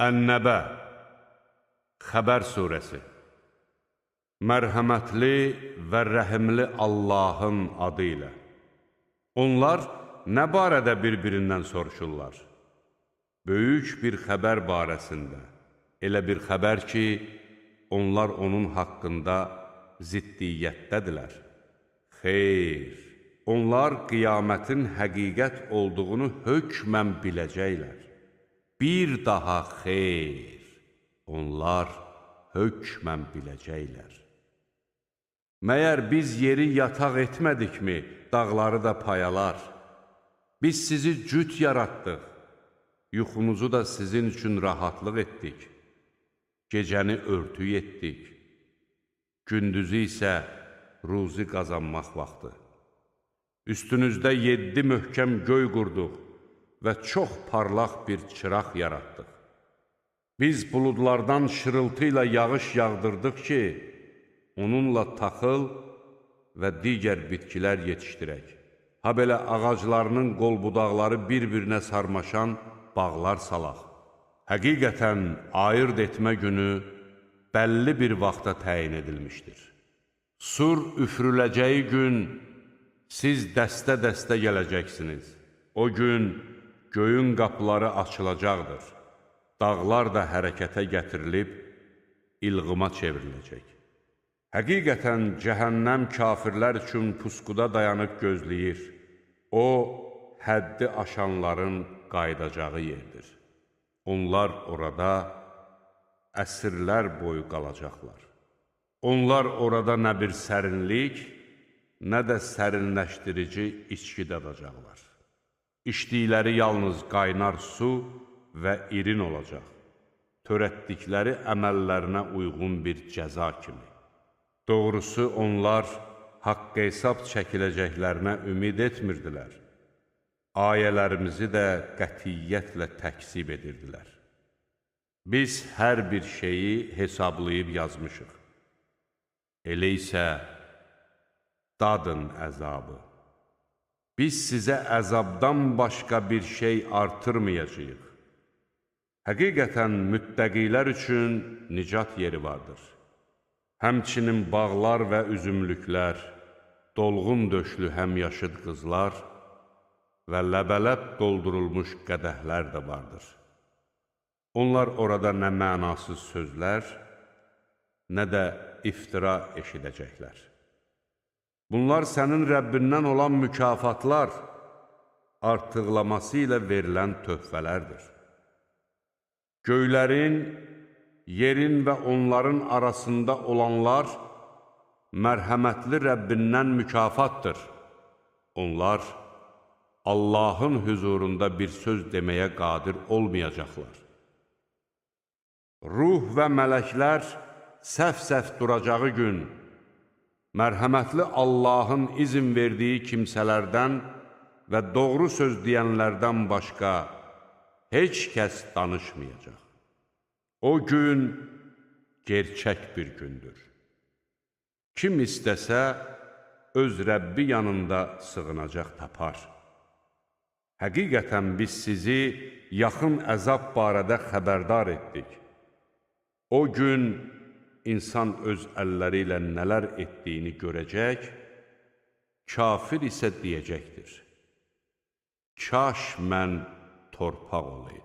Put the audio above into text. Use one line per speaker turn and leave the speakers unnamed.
Ən-Nəbə Xəbər surəsi. Mərhəmətli və rəhimli Allahın adı ilə. Onlar nə barədə bir-birindən soruşurlar? Böyük bir xəbər barəsində. Elə bir xəbər ki, onlar onun haqqında ziddiyyətdədirlər. Xeyr, onlar qiyamətin həqiqət olduğunu hökmən biləcəklər. Bir daha xeyr, onlar hökmən biləcəklər. Məyər biz yeri yataq etmədikmi, dağları da payalar? Biz sizi cüt yaratdıq, yuxunuzu da sizin üçün rahatlıq etdik. Gecəni örtük etdik, gündüzü isə ruzi qazanmaq vaxtı. Üstünüzdə 7 möhkəm göy qurduq və çox parlaq bir çıraq yaratdıq. Biz buludlardan şırıltı ilə yağış yağdırdıq ki, onunla taxıl və digər bitkilər yetişdirək. Ha belə ağaclarının qol budaqları bir-birinə sarmaşan bağlar salaq. Həqiqətən ayırd etmə günü bəlli bir vaxta təyin edilmişdir. Sur üfürüləcəyi gün siz dəstə-dəstə gələcəksiniz. O gün göyün qapıları açılacaqdır. Dağlar da hərəkətə gətirilib ilğıma çevriləcək. Həqiqətən cəhənnəm kafirlər üçün pusquda dayanıb gözləyir. O, həddi aşanların qayıdacağı yerdir. Onlar orada əsrlər boyu qalacaqlar. Onlar orada nə bir sərinlik, nə də sərinləşdirici içki dadacaqlar. İçdikləri yalnız qaynar su və irin olacaq. Törətdikləri əməllərinə uyğun bir cəza kimi. Doğrusu onlar haqq hesab çəkiləcəklərinə ümid etmirdilər. Ayələrimizi də qətiyyətlə təkzib edirdilər. Biz hər bir şeyi hesablayıb yazmışıq. Elə isə dadın əzabı. Biz sizə əzabdan başqa bir şey artırmayacağıq. Həqiqətən müttəqilər üçün nicat yeri vardır. Həmçinin bağlar və üzümlüklər, dolğun döşlü həmyaşıd qızlar və ləbələb doldurulmuş qədəhlər də vardır. Onlar orada nə mənasız sözlər, nə də iftira eşidəcəklər. Bunlar sənin Rəbbindən olan mükafatlar, artıqlaması ilə verilən töhfələrdir. Göylərin, yerin və onların arasında olanlar mərhəmətli Rəbbindən mükafatdır. Onlar Allahın hüzurunda bir söz deməyə qadir olmayacaqlar. Ruh və mələklər səf-səf duracağı gün, mərhəmətli Allahın izin verdiyi kimsələrdən və doğru söz deyənlərdən başqa heç kəs danışmayacaq. O gün gerçək bir gündür. Kim istəsə, öz Rəbbi yanında sığınacaq tapar. Həqiqətən biz sizi yaxın əzab barədə xəbərdar etdik. O gün insan öz əlləri ilə nələr etdiyini görəcək, kafir isə deyəcəkdir. Kaş mən torpaq olayım.